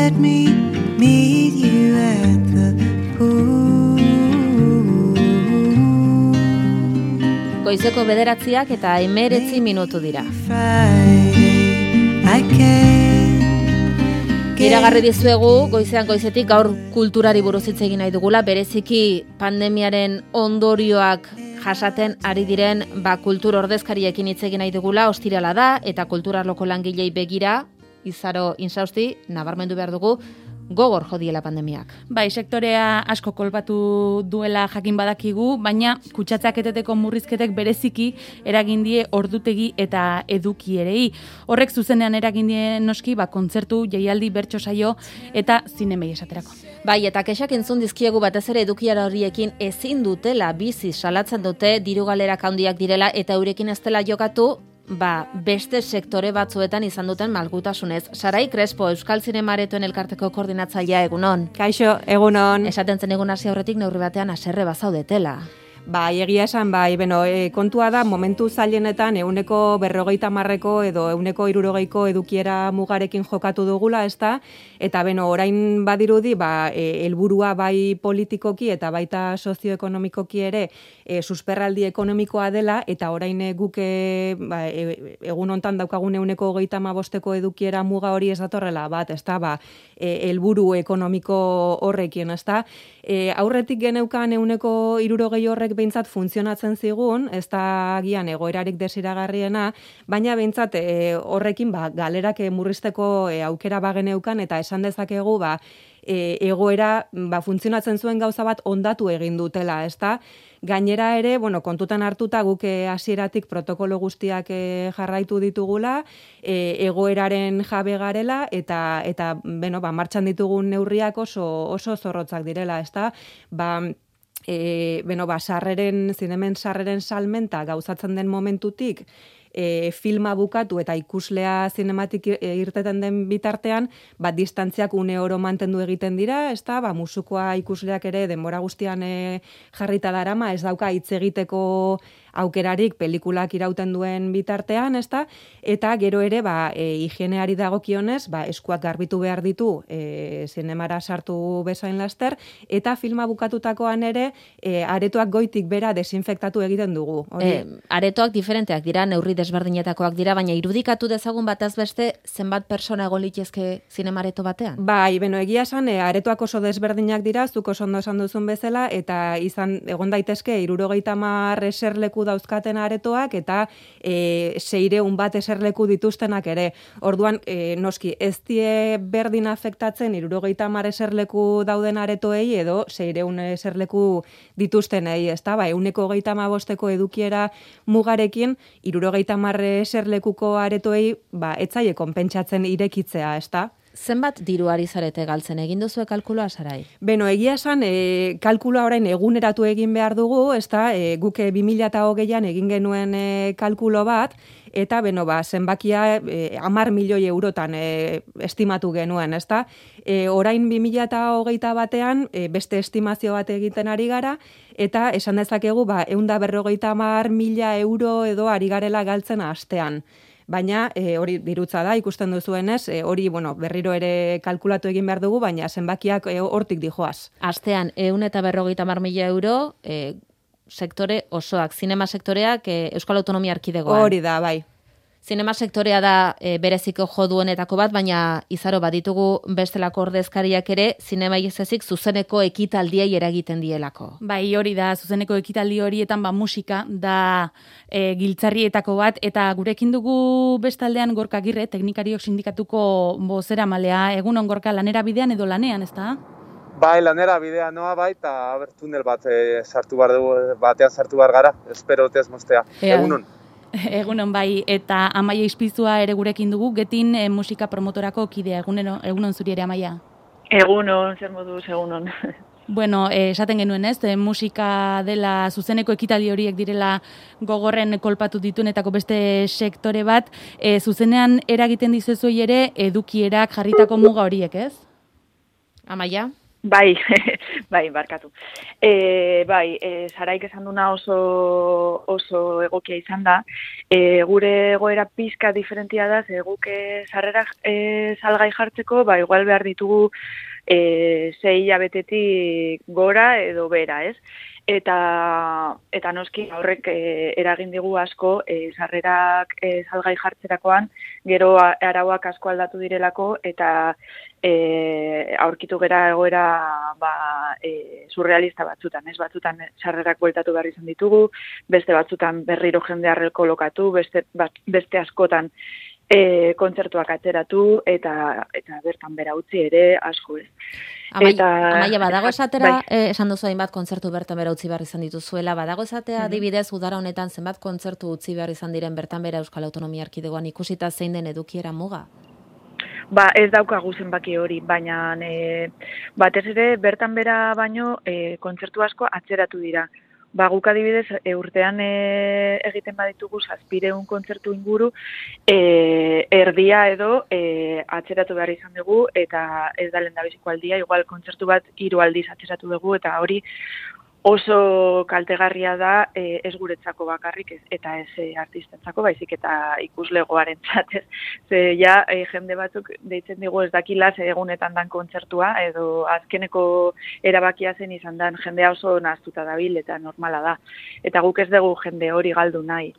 let me meet you at the pool. Goizeko 9:00 eta 19 minutu dira. Iragarri dizuegu goizetik gaur kulturari buruz hitz egin nahi dugula, bereziki pandemiaren ondorioak jasaten ari diren kultur ordezkariekin hitz egin nahi dugula. Ostirala da eta kulturarloko langilei begira Izaro Insausti nabarmendu behar dugu gogor jodiela pandemiak. Bai, sektorea asko kolpatu duela jakin badakigu, baina kutsatzeak eteteko murrizketek bereziki eragin die ordutegi eta edukierei. Horrek zuzenean eragin die noski kontzertu, jaialdi, bertso saio eta zinemei esaterako. Bai, eta kexak entzun dizkiegu batez ere edukiara horiekin ezin dutela bizi salatzen dute, diru galerak handiak direla eta eurekin ez dela jokatu, beste sektore batzuetan izan duten malgutasunez. Sarai Crespo, Euskal Zinemaretoen elkarteko koordinatzailea, egunon. Kaixo, egunon. Esaten zen egun hasi aurretik neurri batean haserre bazaudetela. Egia esan, kontua da, momentu zailenetan 150 edo 160 edukiera mugarekin jokatu dugula, ezta? Eta orain badirudi, helburua bai politikoki eta baita sozioekonomikoki ere susperraldi ekonomikoa dela, eta orain guk egun hontan daukagun 135 edukiera muga hori ez datorrela bat, ezta? Helburu ekonomiko horrekin, ezta? Aurretik geneukan 160 horrek behintzat funtzionatzen zigun, ez da agian egoerarik desiragarriena, baina behintzat horrekin galerak murrizteko aukera bageneukan eta esan dezakegu egoera funtzionatzen zuen gauza bat ondatu egin dutela, ezta? Gainera ere, kontutan hartuta guk hasieratik protokolo guztiak jarraitu ditugula, egoeraren jabe garela eta martxan ditugun neurriak oso zorrotzak direla, ezta? Zinemen sarreren salmenta gauzatzen den momentutik, filma bukatu eta ikuslea zinematik irteten den bitartean, distantziak une oro mantendu egiten dira, ezta? Musukoa ikusleak ere denbora guztian jarrita darama, ez dauka hitz egiteko aukerarik pelikulak irauten duen bitartean, ezta? Eta gero ere, higieneari dagokionez, eskuak garbitu behar ditu zinemara sartu bezain laster, eta filma bukatutakoan ere, aretoak goitik bera desinfektatu egiten dugu. Aretoak diferenteak dira, neurri desberdinetakoak dira, baina irudikatu dezagun bataz beste zenbat persona egon litezke zinemareto batean? Egia esan, aretoak oso desberdinak dira, zuk oso ondo esan duzun bezala, eta egon daitezke 70 eserleku dauzkaten aretoak eta 600 bat eserleku dituztenak ere. Orduan, noski, ez die berdin afektatzen 70 eserleku dauden aretoei edo 600 eserleku dituztenei, ezta? 135 edukiera mugarekin 70 eserlekuko aretoei etzaie konpentsatzen irekitzea, ezta? Zenbat diru ari zarete galtzen, egin duzue kalkulua, Sarai? Egia esan, kalkulua orain eguneratu egin behar dugu, ezta? Guk 2020an egin genuen kalkulo bat, eta zenbakia 10 milioi eurotan estimatu genuen, ezta? Orain 2021 batean beste estimazio bat egiten ari gara, eta esan dezakegu 150.000 euro edo ari garela galtzen astean. Baina hori dirutza da, ikusten duzuenez, hori berriro ere kalkulatu egin behar dugu, baina zenbakiak hortik dijoaz. Astean 150.000 euro sektore osoak, zinema sektoreak Euskal Autonomia Erkidegoan. Hori da, bai. Zinema sektorea da bereziko jo duenetako bat, baina Izaro baditugu bestelako ordezkariak ere zinemai ez ezik zuzeneko ekitaldiei eragiten dielako. Bai, hori da, zuzeneko ekitaldi horietan musika da giltzarrietako bat, eta gurekin dugu bestaldean Gorka Agirre, teknikariok sindikatuko bozeramalea. Egunon, Gorka, lanera bidean edo lanean, ez da? Bai, lanera bidea noa eta tunel bat batean sartu behar gara, espero ez mostea. Egunon. Egunon bai, eta Amaia Ispizua ere gurekin dugu, Getin musika promotorako kidea. Egunon zuri ere, Amaia? Egunon, zer moduz, egunon. Bueno, esaten genuen ez, musika dela zuzeneko ekitaldi horiek direla gogorren kolpatu ditunetako beste sektore bat, zuzenean eragiten dizuzuei ere edukierak jarritako muga horiek, ez? Amaia? Bai, bai, barkatu. Saraik esan duna oso egokia izan da. Gure egoera pizka diferentia da, guk sarrerak salgai jartzeko, igual behar ditugu 6 hilabetetik gora edo bera, ez? Eta noski horrek eragin digu asko sarrerak salgai jartzerakoan, gero arauak asko aldatu direlako eta aurkitu gera egoera surrealista batzutan, ez? Batzutan sarrerak bueltatu behar izan ditugu, beste batzutan berriro jendea kolokatu, beste askotan kontzertuak atzeratu eta bertan bera utzi ere asko ez. Amaia, badago esatera, esan duzu hainbat kontzertu bertan bera utzi behar izan dituzuela, badago esatea adibidez udara honetan zenbat kontzertu utzi behar izan diren bertan bera Euskal Autonomia Erkidegoan ikusita zein den edukiera muga? Ez daukagu zenbaki hori, baina batez ere bertan bera baino kontzertu asko atzeratu dira. Guk adibidez urtean egiten baditugu 700 kontzertu inguru, erdia edo atzeratu behar izan dugu eta ez da lehendabiziko aldia, igual kontzertu bat 3 aldiz atzeratu dugu eta hori oso kaltegarria da ez guretzako bakarrik eta ez artistentzako, baizik eta ikuslegoarentzat, ez. Jende batzuk deitzen digu ez dakila ze egunetan dan kontzertua edo azkeneko erabakia zen izan dan jendea oso nahaztuta dabil eta normala da. Eta guk ez dugu jende hori galdu nahi.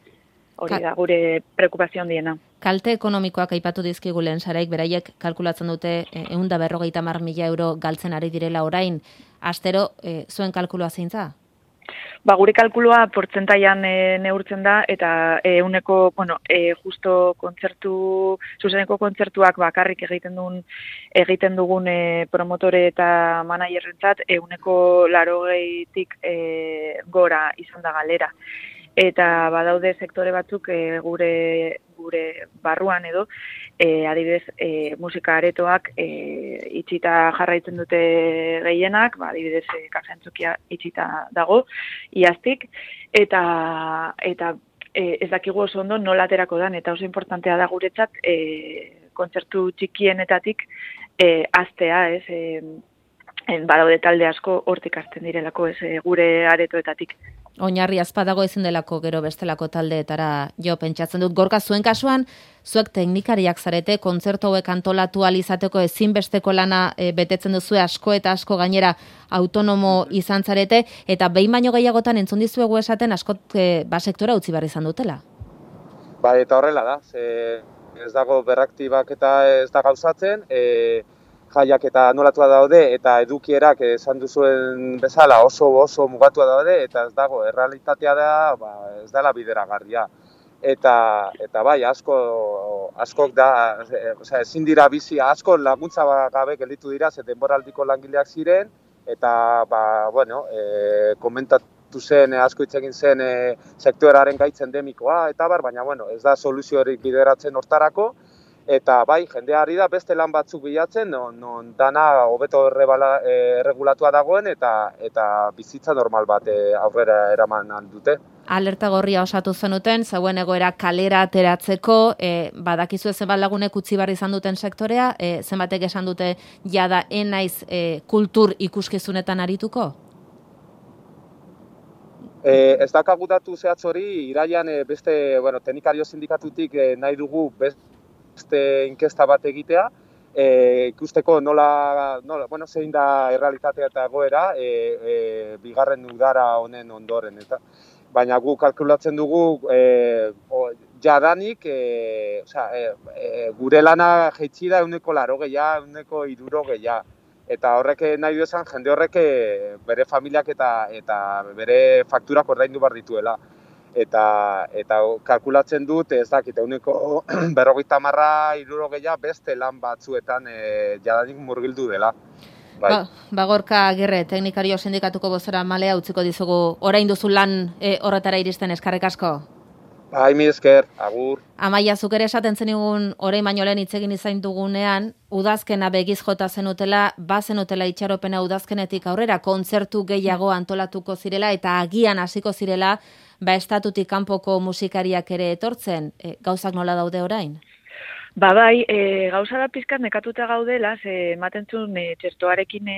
Hori da gure preokupazio handiena. Kalte ekonomikoak aipatu dizkigu lehen Saraik, beraiek kalkulatzen dute 150.000 euro galtzen ari direla orain. Astero, zuen kalkulua zein za? Gure kalkulua portzentaian neurtzen da eta justo zuzeneko kontzertuak bakarrik egiten dugun promotore eta managerrentzat 80%tik gora izan da galera. Eta badaude sektore batzuk gure barruan edo, adibidez musika aretoak itxita jarraitzen dute gehienak, adibidez kafeantzokia itxita dago, iaztik, eta ez dakigu oso ondo nola aterako dan, eta oso importantea da guretzat kontzertu txikienetatik hastea, ez, badaude talde asko hortik hasten direlako, ez, gure aretoetatik. Oinarri azpadago ezin delako gero bestelako taldeetara jo pentsatzen dut. Gorka, zuen kasuan, zuek teknikariak zarete, kontzertu hauek antolatu ahal izateko ezinbesteko lana betetzen duzue asko eta asko gainera autonomo izan zarete, eta behin baino gehiagotan entzun dizuegu esaten askot sektora utzi behar izan dutela. Eta horrela da, ez dago berraktibak eta ez da gauzatzen, jaiak eta anolatua daude eta edukierak esan duzuen bezala oso mugatua daude eta ez dago, errealitatea da, ez dela bideragarria. Eta bai, askok da, ezin dira bizi, asko laguntza gabe gelditu dira, ze denboraldiko langileak ziren, eta, komentatu zen, asko hitz egin zen sektoraren gaitz endemikoa, eta baina, ez da soluziorik bideratzen hortarako, eta bai, jendea ari da beste lan batzuk bilatzen, non dana hobeto erregulatua dagoen eta bizitza normal bat aurrera eraman dute. Alerta gorria osatu zenuten, zeuen egoera kalera ateratzeko, badakizu zenbat lagunek utzi behar izan duten sektorea, zenbatek esan dute jada enaiz kultur ikuskizunetan arituko? Ez dakagu datu zehatz hori, iraian beste teknikario sindikatutik nahi dugu beste inkesta bat egitea, ikusteko nola zein da errealitatea eta egoera bigarren udara honen ondoren. Baina gu kalkulatzen dugu jadanik gure lana jaitsi da 180, 160. Eta horrek nahi du esan jende horrek bere familiak eta bere fakturak ordaindu behar dituela. Eta kalkulatzen dut, ez dakit, 50, 60 beste lan batzuetan jadanik murgildu dela. Bai. Gorka Agirre, teknikario sindikatuko bozera malea utziko dizugu, orain duzu lan horretara iristen, eskerrik asko? Bai, mi esker, agur. Amaia, zuk ere esaten zenigun orain baino lehen hitz egin izan dugunean, udazkena begiz jota zenutela, bazenutela itxaropena udazkenetik aurrera, kontzertu gehiago antolatuko zirela eta agian hasiko zirela, estatutik kanpoko musikariak ere etortzen, gauzak nola daude orain? Bai, gauza da pizkat nekatuta gaudela, ze ematen zuen txertoarekin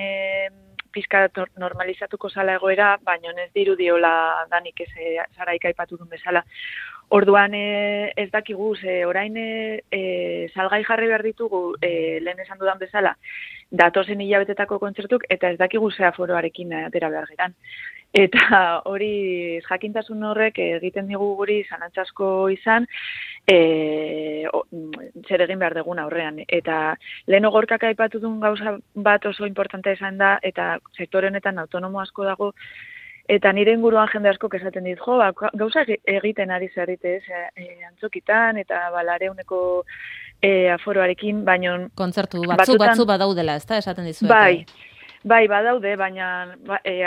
pizkat normalizatuko zala egoera, baina ez dirudiola danik ez Saraik aipatu duen bezala. Orduan ez dakigu, orain salgai jarri behar ditugu, lehen esan dudan bezala, datozen hilabetetako kontzertuk, eta ez dakigu ze aforoarekin atera behar geran. Eta hori jakintasun horrek egiten digu guri zalantzasko izan, zer egin behar dugun aurrean. Eta lehen Gorkak aipatu duen gauza bat oso importante izan da, eta sektore honetan autonomo asko dago, eta nire inguruan jende asko esaten dit, gauza egiten ari zerrite, antzokitan, eta balareuneko aforoarekin, baino... Kontzertu batzu badaudela, ez da, esaten dizuete? Bai, badaude, baina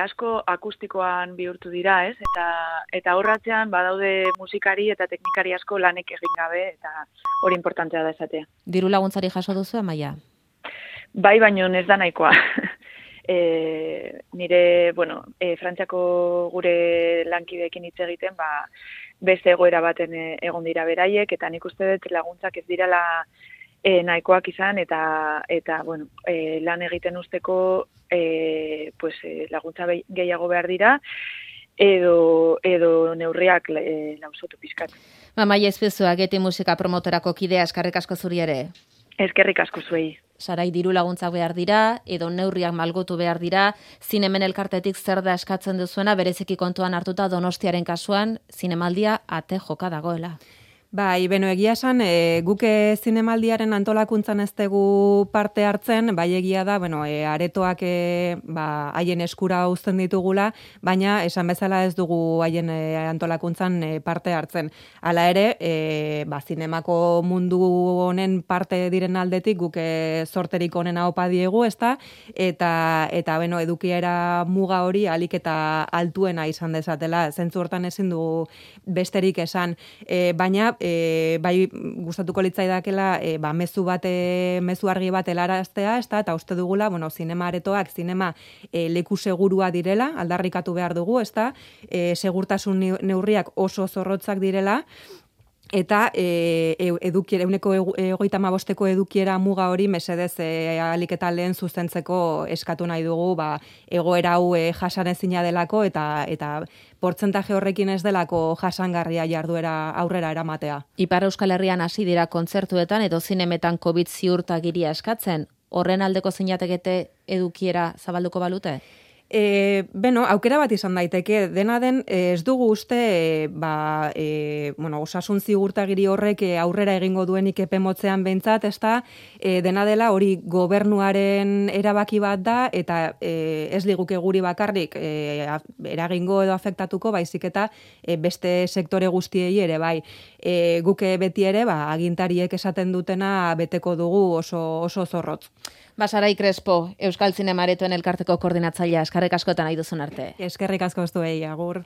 asko akustikoan bihurtu dira, ez? Eta horratzean badaude musikari eta teknikari asko lanek egin gabe, eta hori importantea da esatea. Diru laguntzari jaso duzu, Amaia? Bai, baina ez da nahikoa. Nire, Frantziako gure lankideekin hitz egiten, beste egoera baten egon dira beraiek, eta nik uste dut laguntzak ez dirala nahikoak izan, eta lan egiten usteko laguntza gehiago behar dira, edo neurriak lausotu pizkat. Amaia Ezpezua, Geti musika promotorako kidea, eskerrik asko zuri ere. Eskerrik asko zuei. Sarai, diru laguntzak behar dira, edo neurriak malgotu behar dira, Zinemen elkartetik zer da eskatzen duzuena, bereziki kontuan hartuta Donostiaren kasuan, zinemaldia ate joka dagoela. Bai, egia esan, guke zinemaldiaren antolakuntzan ez dugu parte hartzen, bai egia da, aretoak haien eskura uzten ditugula, baina esan bezala ez dugu haien antolakuntzan parte hartzen. Hala ere, zinemako mundu honen parte diren aldetik guke sorterik onena opa diegu, ezta? Eta edukiera muga hori alik eta altuena izan dezatela, zentzu hortan ezin dugu besterik esan, baina bai gustatuko litzaidakela mezu argi bat helaraztea, eta uste dugula, zinema aretoak, zinema leku segurua direla, aldarrikatu behar dugu, segurtasun neurriak oso zorrotzak direla, eta euneko 35 edukiera muga hori mesedez ahalik eta lehen zuzentzeko eskatu nahi dugu, egoera hau jasanezina delako eta portzentaje horrekin ez delako jasangarria jarduera aurrera eramatea. Ipar Euskal Herrian hasi dira kontzertuetan edo zinemetan COVID ziurtagiria eskatzen, horren aldeko zinatekete edukiera zabalduko balute? Aukera bat izan daiteke, dena den ez dugu uste osasun zigurtagiri horrek aurrera egingo duenik epe motzean behintzat, dena dela hori gobernuaren erabaki bat da, eta ez liguke guri bakarrik eragingo edo afektatuko, baizik eta beste sektore guztiei ere, bai. Guke beti ere, agintariek esaten dutena beteko dugu oso zorrotz. Sarai Crespo, Euskal Zinema Aretoen elkarteko koordinatzailea, eskerrik askotan nahi duzun arte. Eskerrik asko zuei, agur.